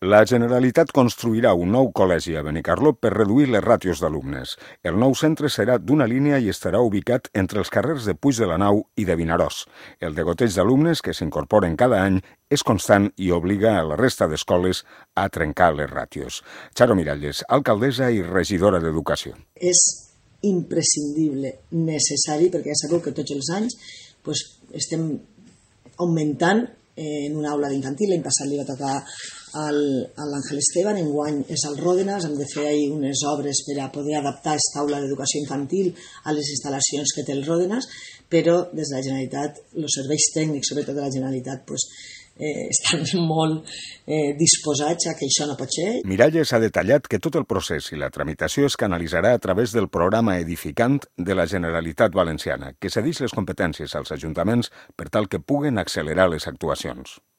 La Generalitat construirà un nou col·legi a Benicarló per reduir les ràtios d'alumnes. El nou centre serà d'una línia i estarà ubicat entre els carrers de Puig de la Nau i de Vinaròs. El degoteig d'alumnes que s'incorporen cada any és constant i obliga a la resta d'escoles a trencar les ràtios. Charo Miralles, alcaldessa i regidora d'Educació. És imprescindible, necessari, perquè ja sabeu que tots els anys estem augmentant en una aula d'infantil. L'any passat li va tocar a l'Àngel Esteban, enguany és al Ròdenas. Hem de fer ahir unes obres per a poder adaptar aquesta aula d'educació infantil a les instal·lacions que té el Ròdenas, però des de la Generalitat, els serveis tècnics, sobretot de la Generalitat, estan molt disposats a que això no pot ser. Miralles ha detallat que tot el procés i la tramitació es canalitzarà a través del programa Edificant de la Generalitat Valenciana, que cedeix les competències als ajuntaments per tal que puguen accelerar les actuacions.